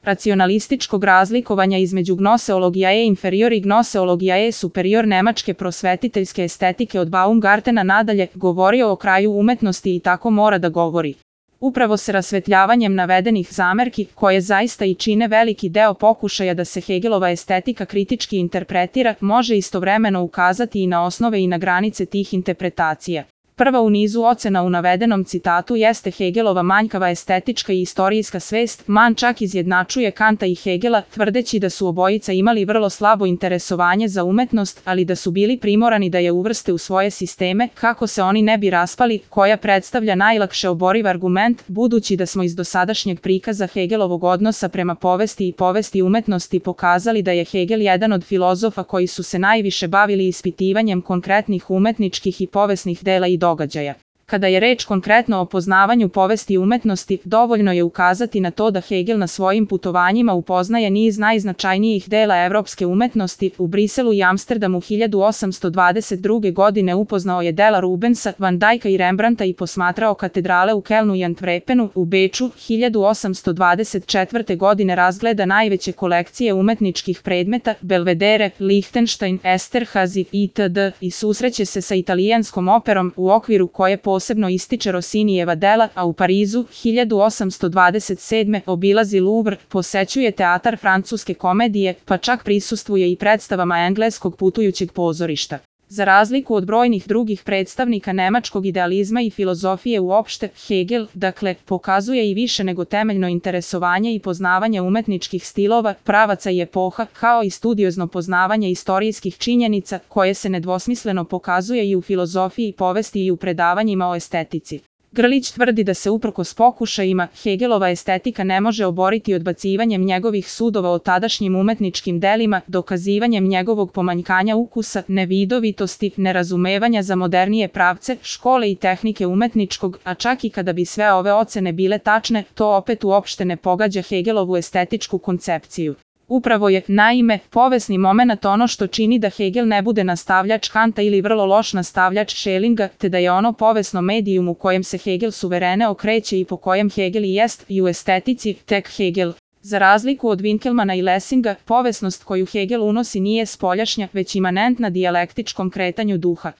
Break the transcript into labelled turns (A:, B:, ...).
A: racionalističkog razlikovanja između gnoseologija inferior i gnoseologija superior nemačke prosvetiteljske estetike od Baumgartena nadalje govorio o kraju umetnosti i tako mora da govori. Upravo se rasvetljavanjem navedenih zamerki, koje zaista i čine veliki deo pokušaja da se Hegelova estetika kritički interpretira, može istovremeno ukazati i na osnove i na granice tih interpretacija. Prva u nizu ocena u navedenom citatu jeste Hegelova manjkava estetička i istorijska svest. Mann čak izjednačuje Kanta i Hegela, tvrdeći da su obojica imali vrlo slabo interesovanje za umetnost, ali da su bili primorani da je uvrste u svoje sisteme, kako se oni ne bi raspali, koja predstavlja najlakše oboriv argument, budući da smo iz dosadašnjeg prikaza Hegelovog odnosa prema povesti i povesti umetnosti pokazali da je Hegel jedan od filozofa koji su se najviše bavili ispitivanjem konkretnih umetničkih i povesnih dela i događaja. Kada je reč konkretno o poznavanju povesti umetnosti, dovoljno je ukazati na to da Hegel na svojim putovanjima upoznaje niz najznačajnijih dela evropske umetnosti. U Briselu i Amsterdamu 1822. godine upoznao je dela Rubensa, Van Dijka i Rembrandta i posmatrao katedrale u Kelnu i Antwerpenu. U Beču 1824. godine razgleda najveće kolekcije umetničkih predmeta, Belvedere, Lichtenstein, Esterhazy itd. i susreće se sa italijanskom operom, u okviru koje posebno ističe Rossinijeva dela, a u Parizu 1827. obilazi Louvre, posećuje teatar francuske komedije, pa čak prisustvuje i predstavama engleskog putujućeg pozorišta. Za razliku od brojnih drugih predstavnika nemačkog idealizma i filozofije uopšte, Hegel, dakle, pokazuje i više nego temeljno interesovanje i poznavanje umetničkih stilova, pravaca i epoha, kao i studiozno poznavanje istorijskih činjenica, koje se nedvosmisleno pokazuje i u filozofiji povesti i u predavanjima o estetici. Grlić tvrdi da se uprkos pokušajima, Hegelova estetika ne može oboriti odbacivanjem njegovih sudova o tadašnjim umetničkim delima, dokazivanjem njegovog pomanjkanja ukusa, nevidovitosti, nerazumevanja za modernije pravce, škole i tehnike umetničkog, a čak i kada bi sve ove ocene bile tačne, to opet uopšte ne pogađa Hegelovu estetičku koncepciju. Upravo je, naime, povesni momenat ono što čini da Hegel ne bude nastavljač Kanta ili vrlo loš nastavljač Schellinga, te da je ono povesno medijum u kojem se Hegel suverene okreće i po kojem Hegel i jest, i u estetici, tek Hegel. Za razliku od Winkelmana i Lessinga, povesnost koju Hegel unosi nije spoljašnja, već imanentna dijalektičkom kretanju duha.